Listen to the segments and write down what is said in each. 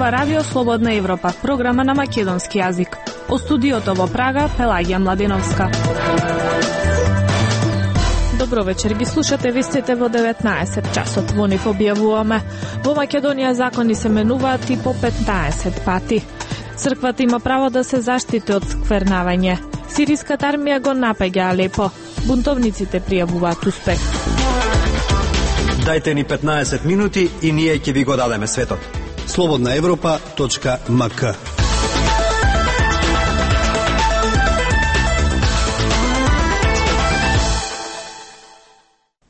зборува Радио Слободна Европа, програма на македонски јазик. О студиото во Прага, Пелагија Младеновска. Добро вечер, ги слушате вестите во 19 часот. Во нив објавуваме: во Македонија закони се менуваат и по 15 пати. Црквата има право да се заштити од сквернавање. Сириската армија го напаѓа Алепо. Бунтовниците пријавуваат успех. Дајте ни 15 минути и ние ќе ви го дадеме светот. slobodnaevropa.mk.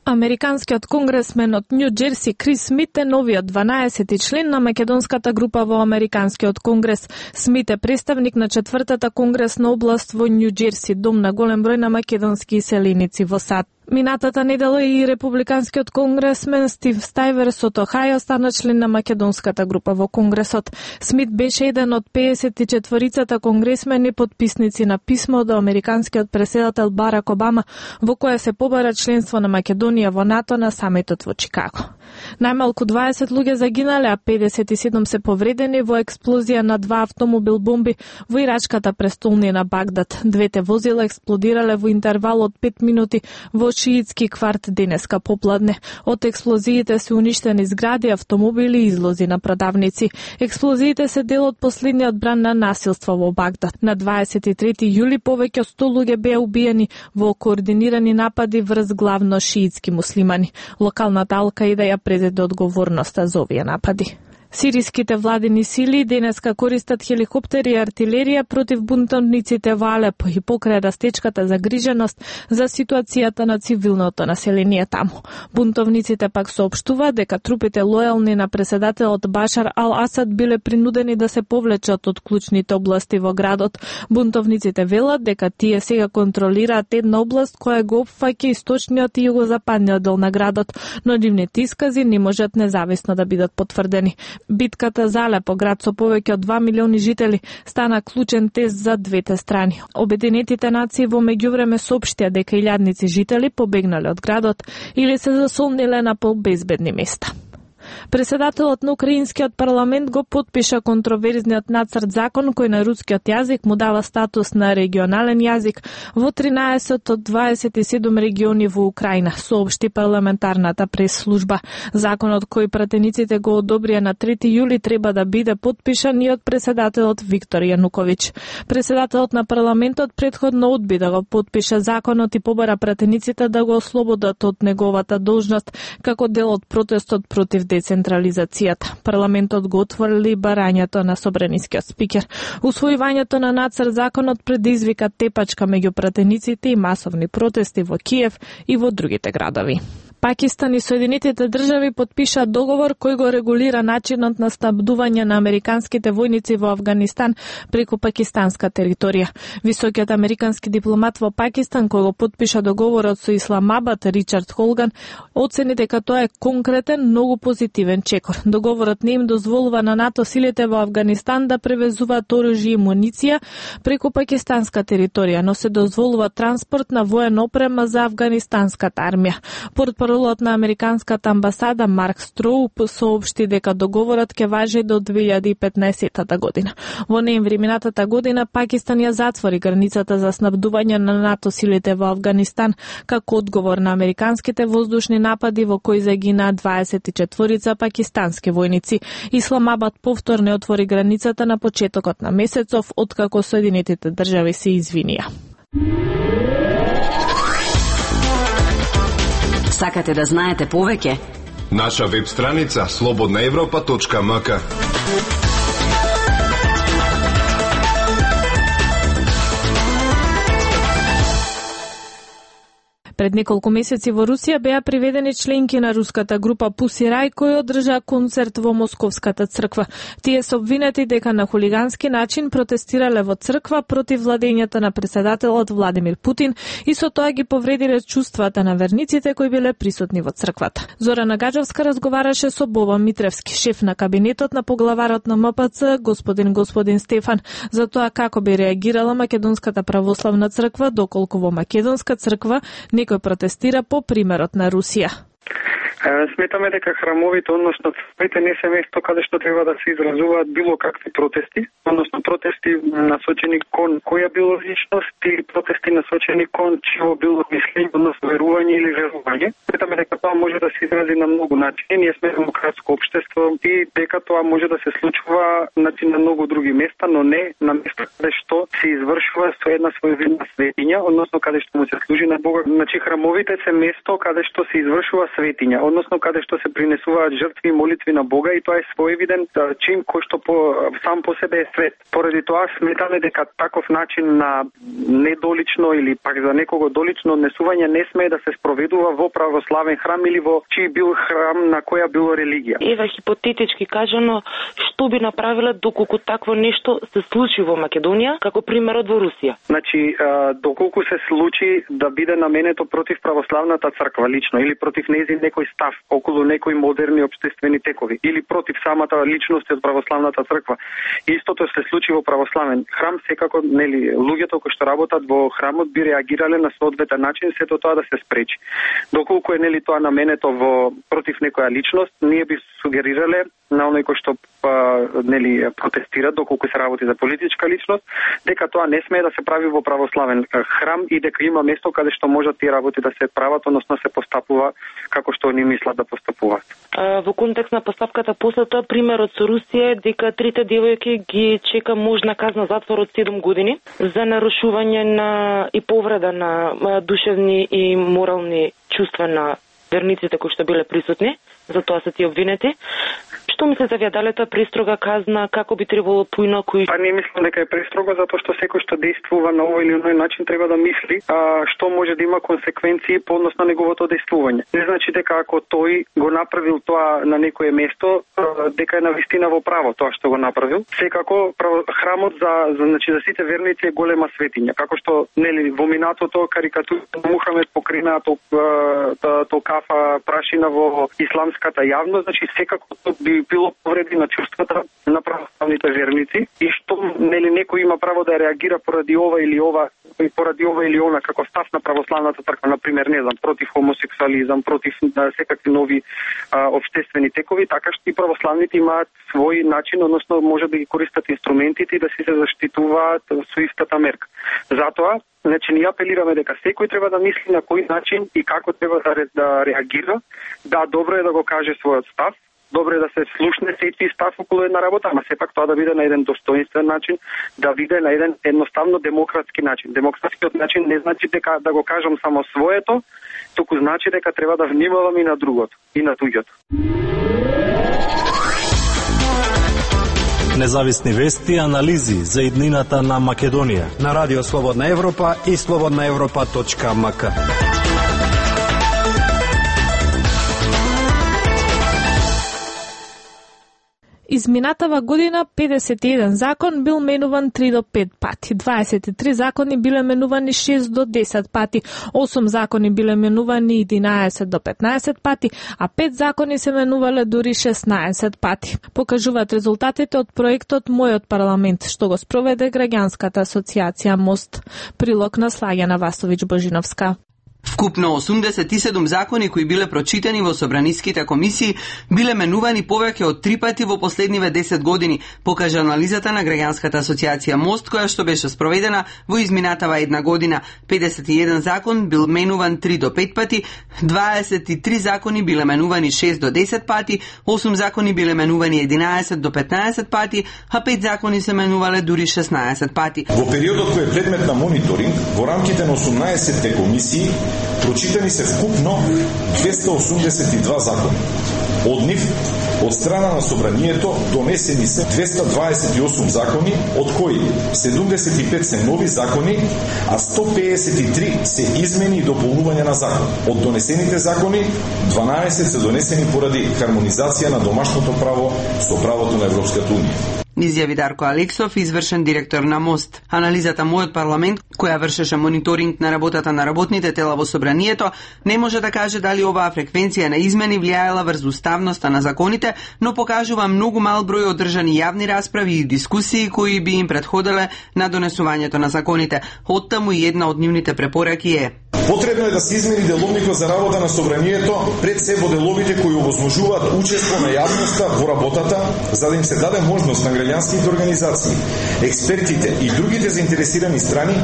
Американскиот конгресмен од Њу Џерси Крис Смит е новиот 12-ти член на македонската група во Американскиот конгрес. Смит е представник на 4-та конгресна област во Њу Џерси, дом на голем број на македонски иселеници во САД. Минатата недела и републиканскиот конгресмен Стив Стајверс од Охајо стана член на македонската група во Конгресот. Смит беше еден од 54-цата конгресмени подписници на писмо до американскиот претседател Барак Обама, во кое се побара членство на Македонија во НАТО на самитот во Чикаго. Најмалку 20 луѓе загинале, а 57 се повредени во експлозија на 2 автомобил бомби во ирачката престолнина Багдад. Двете возила експлодирале во интервал од 5 минути во шиитски кварт денеска попладне. Од експлозиите се уништени згради, автомобили и излози на продавници. Експлозиите се дел од последниот бран на насилство во Багдад. На 23 јули повеќе од 100 луѓе беа убиени во координирани напади врз главно шиитски муслимани. Локалната Ал-Каида ја презеде одговорноста за овие напади. Сириските владини сили денеска користат хеликоптери и артилерија против бунтовниците во Алепо и покрај растечката загриженост за ситуацијата на цивилното население таму. Бунтовниците пак соопштуваат дека трупите лојални на претседателот Башар Ал-Асад биле принудени да се повлечат од клучните области во градот. Бунтовниците велат дека тие сега контролираат една област која го опфаќа источниот и југозападниот дел на градот, но нивните искази не можат независно да бидат потврдени. Битката за Алепо, град со повеќе од 2 милиони жители, стана клучен тест за двете страни. Обединетите нации во меѓувреме соопштија дека илјадници жители побегнале од градот или се засолниле на побезбедни места. Председателот на украинскиот парламент го потпиша контроверзниот нацрт закон кој на рускиот јазик му дава статус на регионален јазик во 13 од 27 региони во Украина, соопшти парламентарната прес-служба. Законот кој пратениците го одобрија на 3 јули треба да биде потпишан и од председателот Виктор Јануковиќ. Председателот на парламентот претходно одби да го потпише законот и побара пратениците да го ослободат од неговата должност како дел од протестот против децентрализацијата. Парламентот го отворили барањето на собранискиот спикер. Усвојувањето на нацрт законот предизвика тепачка меѓу пратениците и масовни протести во Киев и во другите градови. Пакистан и Соединетите држави потпишаа договор кој го регулира начинот на снабдување на американските војници во Авганистан преку пакистанска територија. Високиот американски дипломат во Пакистан кој го потпиша договорот со Исламабад, Ричард Холган, оцени дека тоа е конкретен, многу позитивен чекор. Договорот не им дозволува на НАТО силите во Авганистан да превезуваат оружје и муниција преку пакистанска територија, но се дозволува транспорт на воена опрема за афганистанската армија. Портпаролот на американската амбасада Марк Строуп соопшти дека договорот ќе важи до 2015 година. Во ноември минатата година Пакистан ја затвори границата за снабдување на НАТО силите во Авганистан како одговор на американските воздушни напади во кои загинаа 24 пакистански војници. Исламабад повторно отвори границата на почетокот на месецов откако Соединетите држави се извинија. Сакате да знаете повеќе? Наша веб страница slobodnaevropa.mk. Пред неколку месеци во Русија беа приведени членки на руската група Pussy Riot кои одржаа концерт во Московската црква. Тие се обвинети дека на хулигански начин протестирале во црква против владењето на претседателот Владимир Путин и со тоа ги повредиле чувствата на верниците кои биле присутни во црквата. Зорана Гаджовска разговараше со Боба Митревски, шеф на кабинетот на поглаварот на МПЦ, господин Стефан, за тоа како би реагирала Македонската православна црква доколку во Македонска црква некој протестира по примерот на Русија. Сметаме дека храмовите, односно црквите, не се место каде што треба да се изразуваат било какви протести, односно протести насочени кон која било личност или протести насочени кон чио било мислење, односно верување или верување. Сметаме дека тоа може да се изрази на многу начини. Ние сме демократско општество и дека тоа може да се случува на многу други места, но не на места каде што се извршува со една своевидна светиња, односно каде што му се служи на Бога. Значи храмовите се место каде што се извршува светиња, односно каде што се принесуваат жртви и молитви на Бога, и тоа е своевиден чин кој што сам по себе е свет. Поради тоа сметаме дека таков начин на недолично или пак за некого долично однесување не смее да се спроведува во православен храм или во чиј бил храм на која било религија. Ева хипотетички кажано, што би направила доколку такво нешто се случи во Македонија, како примерот во Русија? Значи, доколку се случи да биде наменето против православната црква лично или против нејзин некој став околу некои модерни општествени текови или против самата личност од православната црква, истото се случи во православен храм, секако нели луѓето кои што работат во храмот би реагирале на соодветен начин сето тоа да се спречи. Доколку е нели тоа наменето во против некоја личност, ние би сугерирале на оној кој што нели протестира, доколку се работи за политичка личност, дека тоа не смее да се прави во православен храм и дека има место каде што можат тие работи да се прават, односно се постапува како што они мислат да постапуваат. Во контекст на поставката после тоа, примерот со Русија е дека трите девојки ги чека можна казна затвор од 7 години за нарушување на и повреда на душевни и морални чувства на верниците кои што биле присутни, за тоа се ти обвинети. Што мислите вие, дали тоа престрога казна, како би требало поинаку? Не мислам дека е престрого, затоа што секој што действува на овој или оној начин треба да мисли што може да има консеквенции по однос на неговото действување. Не значи дека ако тој го направил тоа на некое место, дека е навистина во право тоа што го направил. Секако храмот за сите верници е голема светиња, како што нели во минатото карикатура Мухамед покрина то кафа прашина во исламската јавност, значи секако би било повреди на чувствата на православните верници и што нели некој има право да реагира поради ова или она како став на православната црква, на пример, не знам, против хомосексуализам, против секакви нови општествени текови, така што и православните имаат свој начин, односно може да ги користат инструментите и да се заштитуваат со истата мерка. Затоа значи, ние апелираме дека секој треба да мисли на кој начин и како треба да реагира. Да, добро е да го каже својот став, добро е да се слушне сеќи став околу една работа, ама сепак тоа да биде на еден достоинствен начин, да биде на еден едноставно демократски начин. Демократскиот начин не значи дека да го кажам само своето, туку значи дека треба да внимавам и на другото, и на туѓото. Независни вести и анализи за иднината на Македонија на Радио Слободна Европа и slobodnaevropa.mk. Изминатава година 51 закон бил менуван 3 до 5 пати, 23 закони биле менувани 6 до 10 пати, 8 закони биле менувани 11 до 15 пати, а 5 закони се менувале дури 16 пати. Покажуваат резултатите од проектот Мојот парламент, што го спроведе граѓанската асоциација МОСТ. Прилог на Слагјана Васовиќ-Божиновска. Вкупно 87 закони кои биле прочитани во собраниските комисии биле менувани повеќе од 3 пати во последниве 10 години, покажа анализата на граѓанската асоциација МОСТ, која што беше спроведена во изминатава една година. 51 закон бил менуван 3 до 5 пати, 23 закони биле менувани 6 до 10 пати, 8 закони биле менувани 11 до 15 пати, а 5 закони се менувале дури 16 пати. Во периодот кој е предмет на мониторинг, во рамките на 18 комисии прочитани се вкупно 282 закони. Од нив, од страна на собранието, донесени се 228 закони, од кои 75 се нови закони, а 153 се измени и дополнување на закон. Од донесените закони, 12 се донесени поради хармонизација на домашното право со правото на Европската унија. Изјави Дарко Алексов, извршен директор на МОСТ. Анализата Мојот парламент, која вршеше мониторинг на работата на работните тела во собранието, не може да каже дали оваа фреквенција на измени влијаела врз уставноста на законите, но покажува многу мал број одржани јавни расправи и дискусии кои би им претходеле на донесувањето на законите. Оттаму и една од нивните препораки е: Потребно е да се измени деловникот за работа на собранието пред се во деловите кои овозможуваат учество на јавноста во работата, за да им се даде можност на граѓанските организации, експертите и другите заинтересирани страни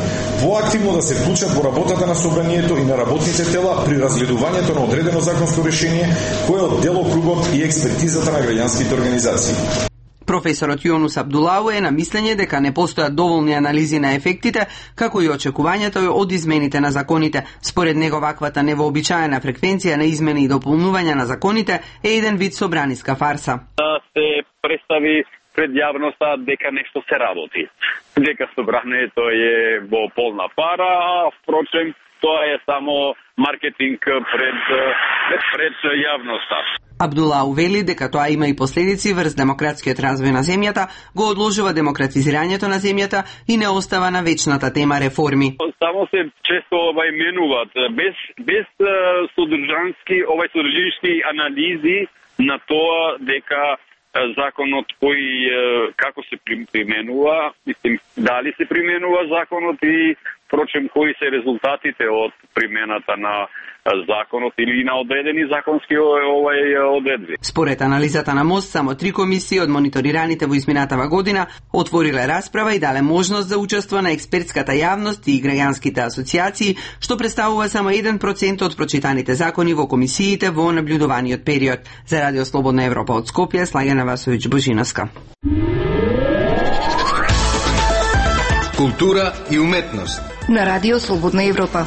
поактивно да се вклучат во работата на собранието и на работните тела при разгледувањето на одредено законско решение кое е од делокругот и експертизата на граѓанските организации. Професорот Јонус Абдулау е на мислење дека не постојат доволни анализи на ефектите, како и очекувањето од измените на законите. Според него ваквата невообичаена фреквенција на измени и дополнување на законите е еден вид собраниска фарса. Да се представи пред јавноста дека нешто се работи. Дека собранието е во полна пара, а впрочем тоа е само маркетинг пред јавноста. Абдулау вели дека тоа има и последици врз демократскиот развој на земјата, го одложува демократизирањето на земјата и не остава на вечната тема реформи. Само се често менуваат без содржински анализи на тоа дека законот кој како се применува, дали се применува законот и впрочем кои се резултатите од примената на законот или на одредени законски одредби. Според анализата на МОСТ, само 3 комисии од мониторираните во изминатава година отвориле расправа и дале можност за учество на експертската јавност и граѓанските асоциации, што представува само 1% од прочитаните закони во комисиите во наблюдуваниот период. За Радио Слободна Европа од Скопје, Слагена Васовиќ Божиновска. Култура и уметност на Радио Слободна Европа.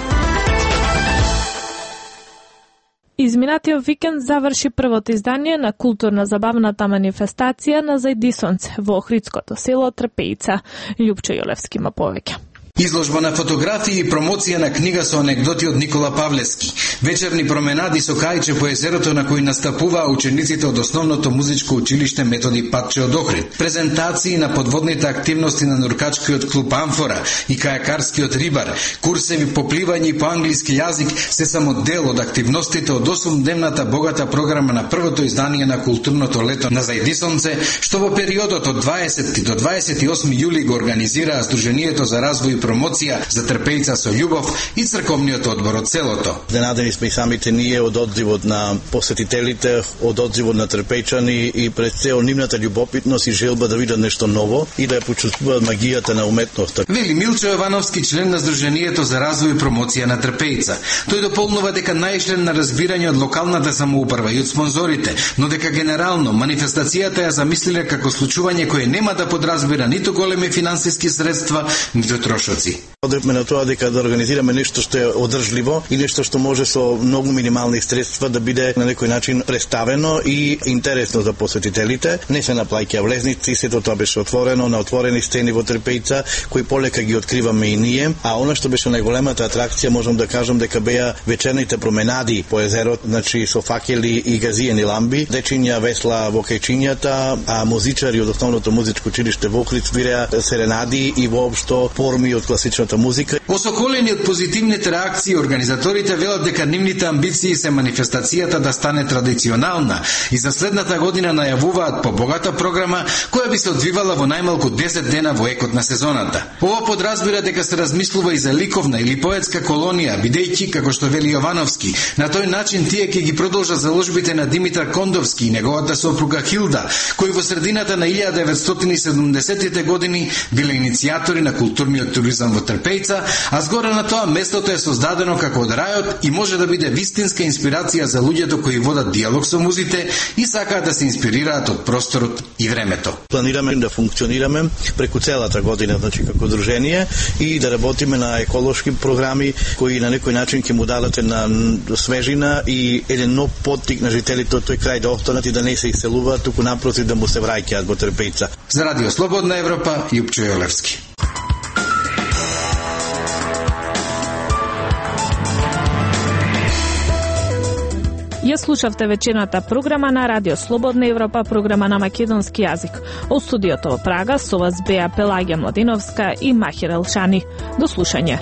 Изминатиот викенд заврши првото издание на културно-забавната манифестација на Зајдисонце во охридското село Трпејица. Љупчо Јолевски има повеќе. Изложба на фотографии и промоција на книга со анегдоти од Никола Павлевски. Вечерни променади со кајче по езерото на кои настапуваа учениците од основното музичко училиште Методи Патче од Охрид. Презентации на подводните активности на нуркачкиот клуб Амфора и кајакарскиот рибар. Курсеви по пливање и по англиски јазик се само дел од активностите од 8-дневната богата програма на првото издание на културното лето на Зајдисонце, што во периодот од 20 до 28 јули го организираа Сдруженијето за развој и промоција за Трпејица со љубов и црковниот одбор од селото. Денадени сме и самите ние од одзивот на посетителите, од одзивот на трпејчани и пред цел нивната љубопитност и желба да видат нешто ново и да ја почувствуваат магијата на уметноста. Вели Милчо Јовановски, член на Сдруженијето за развој и промоција на Трпејица. Тој дополнува дека најшлен на разбирање од локалната самоуправа и од спонзорите, но дека генерално манифестацијата ја замислиле како случување кое нема да подразбира ниту големи финансиски средства, ниту трошоци. Одрекме на тоа дека да организираме нешто што е одржливо и нешто што може со многу минимални средства да биде на некој начин представено и интересно за посетителите. Не се наплаќа влезници, сето тоа беше отворено на отворени сцени во Трпејица, кои полека ги откриваме и ние. А она што беше најголемата атракција, можам да кажам дека беа вечерните променади по езерот, значи со факели и газиени ламби, дечиња весла во кајчињата, а музичари од основното музичко училиште во Охрид свиреа серенади и воопшто форми од класичната музика. Осоколени од позитивните реакции, организаторите велат дека нивните амбиции се манифестацијата да стане традиционална и за следната година најавуваат побогата програма која би се одвивала во најмалку 10 дена во екот на сезоната. Ова подразбира дека се размислува и за ликовна или поетска колонија, бидејќи, како што вели Јовановски, на тој начин тие ќе ги продолжат заложбите на Димитар Кондовски и неговата сопруга Хилда, кои во средината на 1970-тите години биле иницијатори на културниот туризам во Трпејица, а згоре на тоа местото е создадено како од рајот и може да биде вистинска инспирација за луѓето кои водат диалог со музите и сакаат да се инспирираат од просторот и времето. Планираме да функционираме преку целата година, значи како дружение и да работиме на еколошки програми кои на некој начин ќе му дадат на свежина и еден нов поттик на жителите од тој крај да останат и да не се иселуваат, туку напротив да му се враќаат во Трпејица. За Радио Слободна Европа, Љупчо Јолевски. Ја слушавте вечерната програма на Радио Слободна Европа, програма на македонски јазик. Од студиото во Прага со вас беа Пелагија Младиновска и Махир Елшани. До слушање.